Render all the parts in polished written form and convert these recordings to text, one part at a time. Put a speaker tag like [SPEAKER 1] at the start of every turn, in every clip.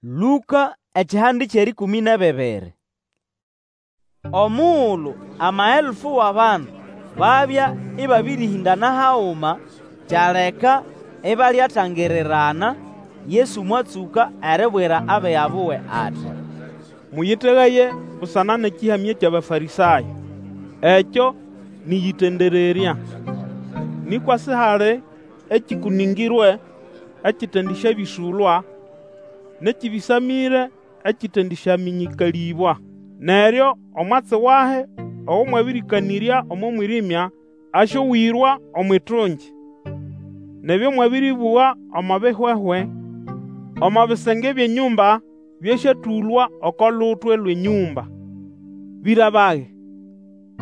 [SPEAKER 1] Lũka ekihande ky'erĩkũmĩ n'ebibiri. Omugulu amaelfu w'abandu babya ĩbabĩrĩhĩndana haguma, kyaleka ibalyatangirirana, Yesu mwatsũka eribwira abiga buwe ati,
[SPEAKER 2] Mũyĩtegaye busana n'ekĩhamya ky'Abafarĩsayo, ekyo nĩ ʼyĩtendererya. Nĩkwa sihali ekĩkũnĩngĩrwe ekitendisyabĩsũlwa, n'ekĩbĩsamĩre ekĩtendĩsyamĩnyĩkalĩbwa. Neryo omwatsi wahi ogo mwabĩrĩkanĩrya omo mwĩrĩmya, asyowĩrwa omw'itungi, n'ebyo mwabĩrĩbũga omo bihwehwe omo bisenge by'enyũmba, byasyatũlwa oko lutwe lw'enyũmba. Bĩra bage,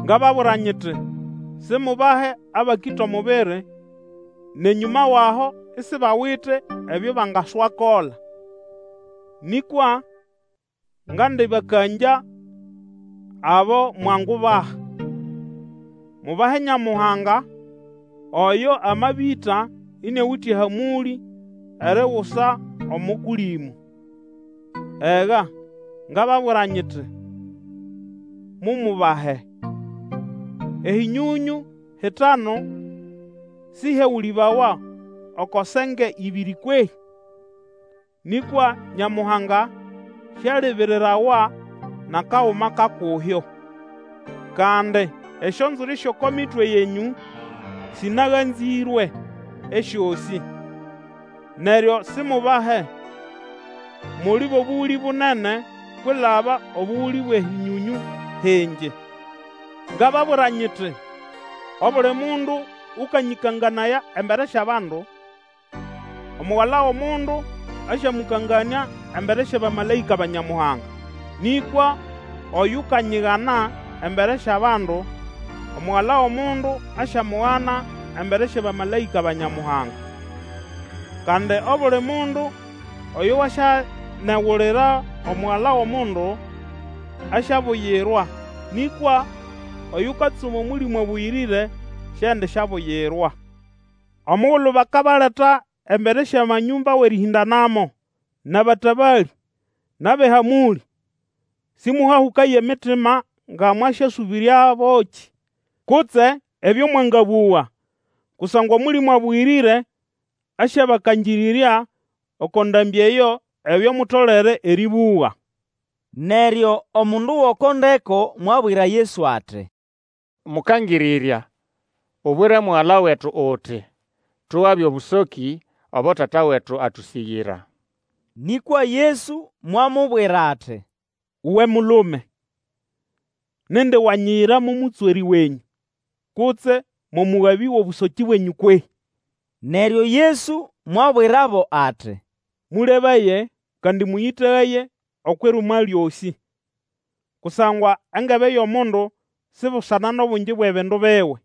[SPEAKER 2] ngababwira nyiti, Simubahe abakĩta omubiri, n'enyũma w'aho isibawite ebyo bangaswakola. Nĩkwa ngandĩbakangya abo mwangubaha. Mubahe Nyamuhanga, oyo amabĩta iniawite ehamũlĩ erigusa omo Kũlĩmũ. Ega, ngababwira nyiti, Mumubahe. Ehĩnyonyũ hitanu sĩhyagũlĩbawa oko senge ĩbĩrĩ kwehĩ? Nĩkwa Nyamuhanga sialibirirawa n'akaguma ka kuhyo. Kandi esyonzwiri sy'oko mitwe yenyũ sĩnaganzĩrwe esyosĩ. Neryo simubahe, muli b'obũgũlĩ bunene kwilaba obũgũlĩ bw'enyũnyũ hingi. Ngababwira nyiti, Obuli mundu ũkanyĩkanganaya embere sy'abandu, Omugala w'Omundu asyamũkanganĩa embere sy'abamalaĩka ba Nyamuhanga. Nĩkwa oyukanyigana embere sy'abandu, Omugala w'Omundu asyamugana embere sy'abamalaĩka ba Nyamuhanga. Kandi obuli mundu oyo wasyanegulira Omugala w'Omundu, asyabuyirwa, nĩkwa oyukatsuma Omũlĩmũ Abũyĩrĩre siendisyabuyirwa. Omugulu bakabaleta embere sy'amanyũmba w'erĩhĩndanamo, n'abatabalĩ, n'ab'ehamũlĩ, sĩmũhahũkaye emitima nga mwasyasũbĩryabokĩ, kutse ebyo mwangabũga, kusangwa Omũlĩmũ Abũyĩrĩre asyabakangĩrĩrya oko ndambĩ eyo ebyo mutolere erĩbũga.
[SPEAKER 1] Neryo omundu g'oko ndeko mwabwira Yesu ati,
[SPEAKER 3] Mũkangĩrĩrya, Ubwire mugala wetu uti, tugabe obũsokĩ obo tata wetu atũsĩgĩra.
[SPEAKER 1] Nĩkwa Yesu mwamubwira ati,
[SPEAKER 2] Uwe mulume, nindi wanyiyira mo mũtswerĩ wenyũ, kutse mo mũgabĩ w'obũsokĩ bwenyũ kwehĩ?
[SPEAKER 1] Neryo Yesu mwabwirabo ati,
[SPEAKER 2] Mũlebaye kandi mũyĩtegaye okw'irumwa lyosĩ, kusangwa engebe y'omundu si busana n'obungi bw'ebindu biwe.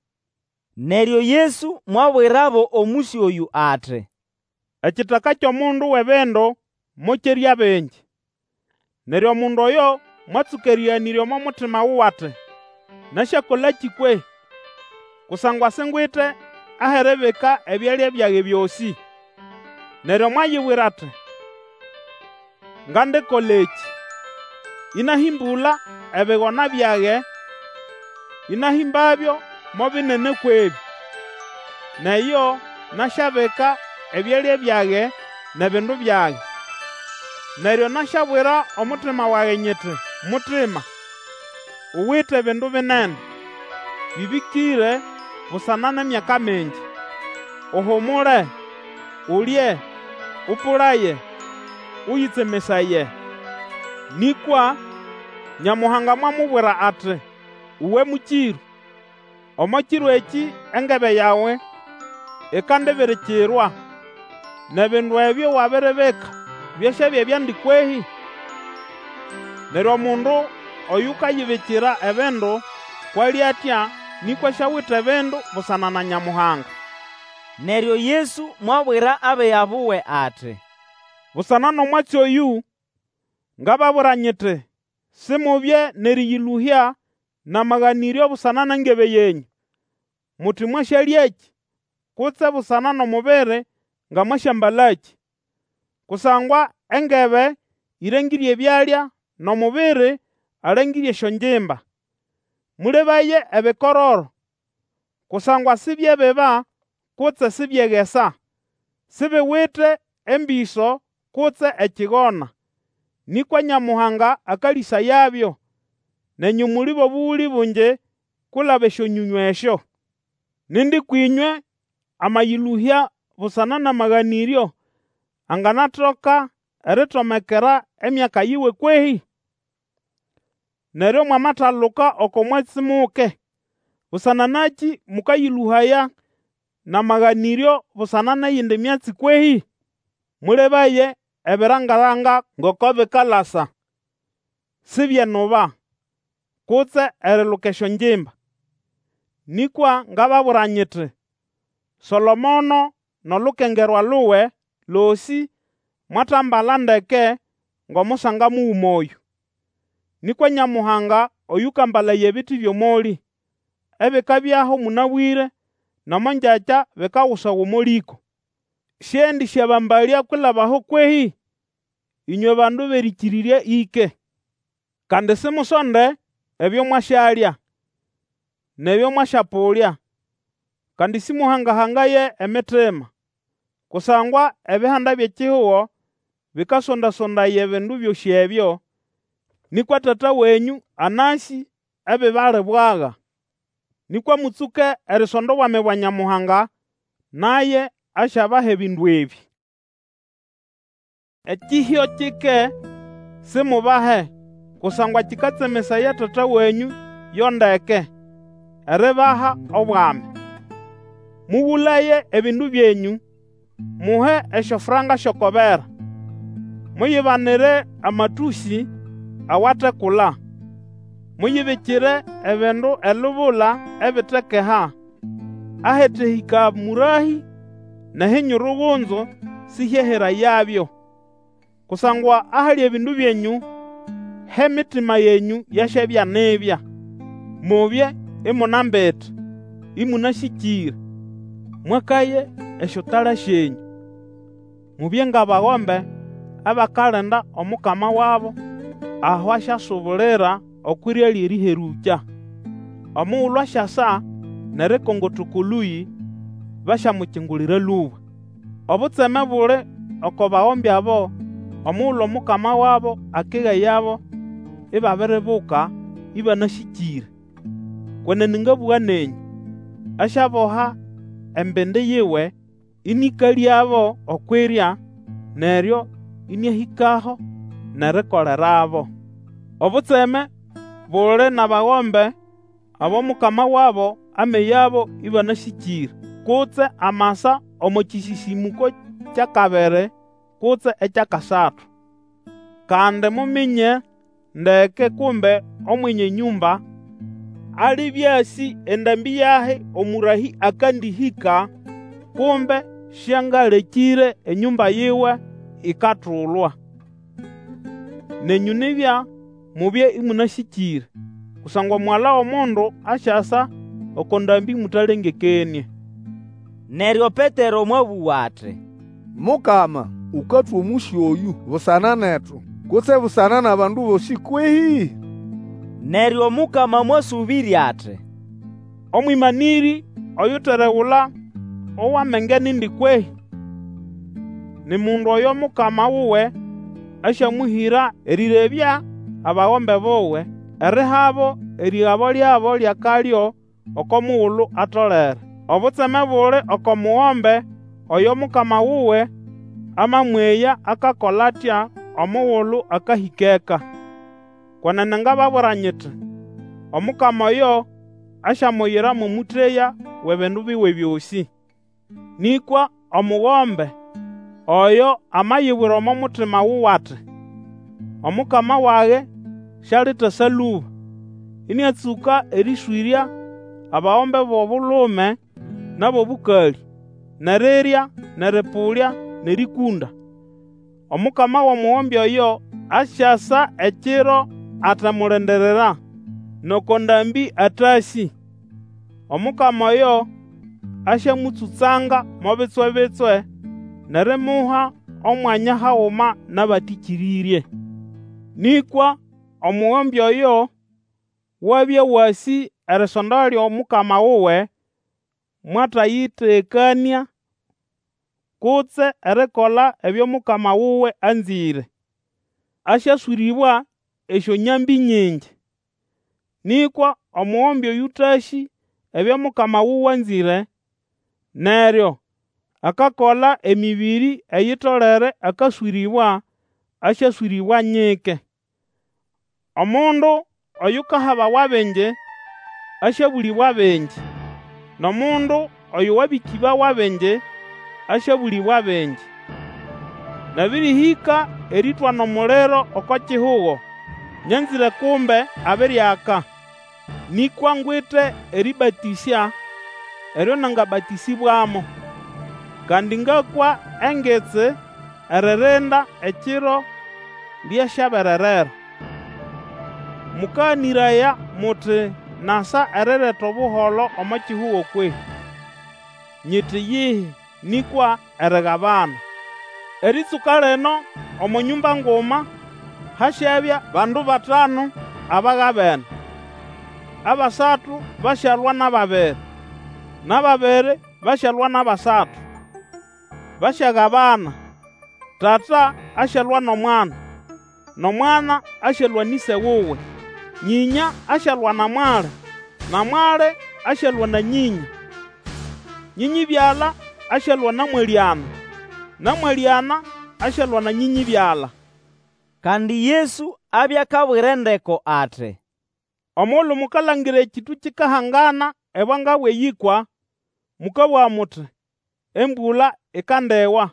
[SPEAKER 1] Neryo Yesu mwabwirabo omũsyo oyũ ati,
[SPEAKER 2] Ekitaka ky'omundu w'ebindu mokyerya bingi. Neryo omundu oyo mwatsũka erĩganĩrya omo mutima wuwe ati, Nasyakolakĩ kwehĩ? Kusangwa singwite ah'eribika ebyalya byage byosĩ. Neryo mwayibwira ati, Ngandikola ekĩ, ĩnahĩmbũla ebigona byage, ĩnahĩmbabyo mo binene kw'ebĩ, n'eyo nasyabika ebyalya byage n'ebindu byage. Neryo nasyabwira omutima wage nyiti, Mutima, uwite ebindu binene, bĩbĩkĩre busana n'emyaka mingi. Uhumule, ulye, ũpũlaye, ũyĩtsemesaye. Nĩkwa Nyamuhanga mwamubwira ati, Uwe mũkĩrũ, omo kiro ekĩ engebe yawe ikandibirikirwa, n'ebindu ebyo wabiribika byasyabya byandi kwehĩ? Neryo omundu oyukayibikira ebindu kw'ali atya nĩkwa siawite ebindu busana na Nyamuhanga.
[SPEAKER 1] Neryo Yesu mwabwira abiga buwe ati,
[SPEAKER 2] Busana n'omwatsi oyũ, ngababwira nyiti, Simubye n'erĩyĩlũhya n'amaganĩryo busana n'engebe yenyũ, muti mwasyalyakĩ, kutse busana n'omubiri nga mwasyambalakĩ. Kusangwa engebe ĩrengĩre ebyalya, n'omubiri alengĩre esyongimba. Mũlebaye ebikororo, kusangwa sibyebiba kutse sibyegesa, sibiwite embĩso kutse ekigona, nĩkwa Nyamuhanga akalĩsayabyo. Nenyũ muli b'obũgũlĩ bungi kwilaba esyonyonyũ esyo. Nindi kwĩnywe amayĩlũhya busana n'amaganĩryo, anganatoka eritomekera emyaka yiwe kwehĩ? Neryo mwamataluka oko mwatsi muke, busana nakĩ mũkayĩlũhaya n'amaganĩryo busana n'eyindi myatsi kwehĩ? Mũlebaye ebiranga-ranga ngoko bikalasa, Sibyenuba, kutse eriluka esyongimba. Nĩkwa ngababwira nyiti, Solomono n'olukengerwa luwe losĩ mwatambala ndeke ng'omusanga muguma oyũ. Nĩkwa Nyamuhanga oyũkambalaya ebiti by'omolĩ, ebikabyaho mũnabwĩre, n'omo ngyakya bikagusawa omo lĩko, sĩendĩsyabambalya kwilaba aho kwehĩ? Ĩnywe bandu b'erĩkĩrĩrya ĩke! Kandi simusonde ebyo mwasyalya, n'ebyo mwasyapũlya, kandi sĩmũhanga-hangaye emitima. Kusangwa Ebihanda by'ekihugo bĩkasonda-sondaya ebindu byosĩ ebyo, nĩkwa Tata wenyũ anasĩ ebibalibwaga. Nĩkwa mũtsũke erisonda Obwami bwa Nyamuhanga, naye asyabaha ebindu ebĩ. Ekĩhyo kike simubahe, kusangwa kĩkatsemesaya Tata wenyũ yo ndeke, eribaha Obwami. Mũgũlaye ebindu byenyũ, muhe esyofranka sy'oko bera. Muyibanire amatũsĩ awatekula, muyibikire ebindu elubula ebitekeha, ahetehĩka mũrahĩ n'ehinyurugunzu sĩhyeherayabyo. Kusangwa ahali ebindu byenyũ, h'emitima yenyũ yasyabya nibya. Mubye imunambite, ĩmũnasĩkĩre, mwakaye esyotala syenyũ. Mubye ng'abagombe abakalinda omukama wabo aho asyasubulira okw'irya ly'erĩherũkya. Omugulu asyasa n'erikongota oko lũyĩ, basyamukingulira lũba. Obutseme buli oko bagombe abo omugulu omukama wabo akegayabo ibabiribuka ĩbanasĩkĩre. Kwenene ngabũga nenyũ, asyaboha embindi yiwe, ĩnĩkalĩabo okw'irya, neryo ĩnĩahĩkaho n'erikolerabo. Obutseme buli n'abagombe abo mukama wabo ameyabo ĩbanasĩkĩre, kutse amasa omo kĩsĩsĩmũko ky'akabiri kutse eky'akasatu. Kandi muminye ndeke kumbe Omwenye nyũmba alibya asĩ endambĩ yahi omũrahĩ akandĩhĩka, kumbe siangalekĩre enyũmba yiwe ikatulwa. Nenyũ nibya mubye ĩmũnasĩkĩre, kusangwa Omugala w'Omundu asyasa oko ndambĩ mũtalengekenĩe.
[SPEAKER 1] Neryo Petero mwabũga ati,
[SPEAKER 4] Mukama, ũkatwa omũsyo oyũ busana netu, kutse busana n'abandu bosĩ kwehĩ?
[SPEAKER 1] Neryo Omukama mwasũbĩrya ati,
[SPEAKER 2] Omwĩmanĩrĩ oyuteregula ow'amenge nindi kwehĩ? Ni mundu oyo mukama wuwe asyamũhĩra erĩrebya abagombe buwe, erihabo erĩgabo lyabo ly'akalyo oko mugulu atolere. Obutseme buli oko mugombe oyo mukama wuwe amamweya akakola atya omugulu akahĩka eka. Kwenene ngababwira nyiti, Omukama oyo asyamuyira mo mũteya w'ebindu biwe byosĩ. Nĩkwa omugombe oyo amayibwira omo mutima wuwe ati, Omukama wage sialitasa lũba, ĩnĩatsũka erĩswĩrya abagombe b'obulume n'ab'obũkalĩ, n'erirya, n'erĩpũlya, n'erĩkũnda. Omukama w'omugombe oyo asyasa ekiro atemulindirira, n'oko ndambĩ atasĩ. Omukama oyo asyamũtsũtsanga mo bitswe-bitswe, n'erimuha omwanya haguma n'abatĩkĩrĩrye. Nĩkwa omugombe oyo wabya wasĩ erisonda ly'omukama wuwe, mwatayĩteganĩa kutse erikola ebyo mukama wuwe anzĩre, asyaswĩrĩbwa esyonyambĩ nyingi. Nĩkwa omugombe oyũtasĩ ebyo mukama wuwe anzĩre, neryo akakola emĩbĩrĩ eyitolere akaswĩrĩbwa, asyaswĩrĩbwa nyike. Omundu oyukahabawa bingi, asyabũlĩbwa bingi, n'omundu oyo wabĩkĩbawa bingi, asyabũlĩbwa bingi. Nabĩrĩhĩka erĩtwana omuliro oko kihugo, nyanzĩre kumbe abiriaka. Nĩkwa ngwite erĩbatĩsya eryo nangabatĩsĩbwamo! Kandi ngakwa engitsi eririnda ekiro lyasyabererera! Mũkaganĩraya muti nasa erireta obuholo omo kihugo kwehĩ? Nyiti iyihi, nĩkwa erigabana. Erĩtsũka lino omo nyũmba nguma hasyabya bandu batanu abagabene, abasatu basyalwa n'ababiri, n'ababiri basyalwa n'abasatu. Basyagabana. Tata asyalwa n'omwana, n'omwana asyalwa n'ĩse wuwe, nyĩnya asyalwa na mwali, na mwali asyalwa na nyĩnya, nyĩnyĩbyala asyalwa na mwalĩana, na mwalĩana asyalwa na nyĩnyĩbyala.
[SPEAKER 1] Kandi Yesu abya akabwira endeko ati,
[SPEAKER 2] Omugulu mukalangira ekĩtũ kikahangana ebwanga bw'eyĩkwa, mũkabũga muti, Embũla ikandiwa,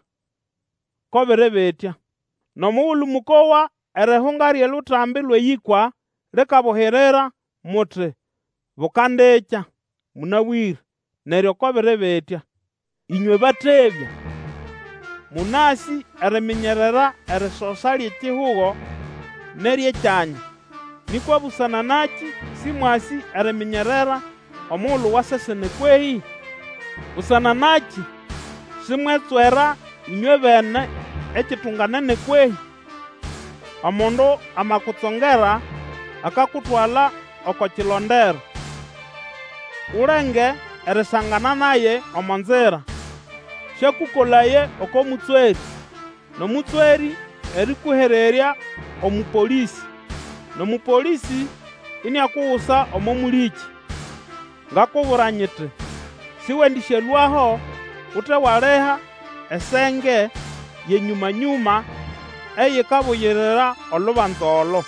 [SPEAKER 2] ko biri bitya. N'omugulu mũkowa erihunga ly'olutambi lw'eyĩkwa likabuhirira, muti, Bukandikya, mũnabwĩre, neryo ko biri bitya. Ĩnywe batebya! Mũnasĩ eriminyerera erisosa ly'ekihugo n'ery'ekyanya, nĩkwa busana nakĩ sĩmwasĩ eriminyerera omugulu wa sesene kwehĩ? Busana nakĩ simwetswera ĩnywebene ekitunganene kwehĩ? Omundu amakutsongera akakutwala oko kilondero, ulenge erisangana naye omo nzira, sĩakũkolaye oko mũtswerĩ, n'omũtswerĩ erĩkũhererya omũpolĩsĩ, n'omũpolĩsĩ iniakugusa omo mũlĩkĩ. Ngakubwira nyiti, Sĩwendĩsyalũaho ute waliha esenge y'enyũma-nyũma eyikabuyirira olubanza olo.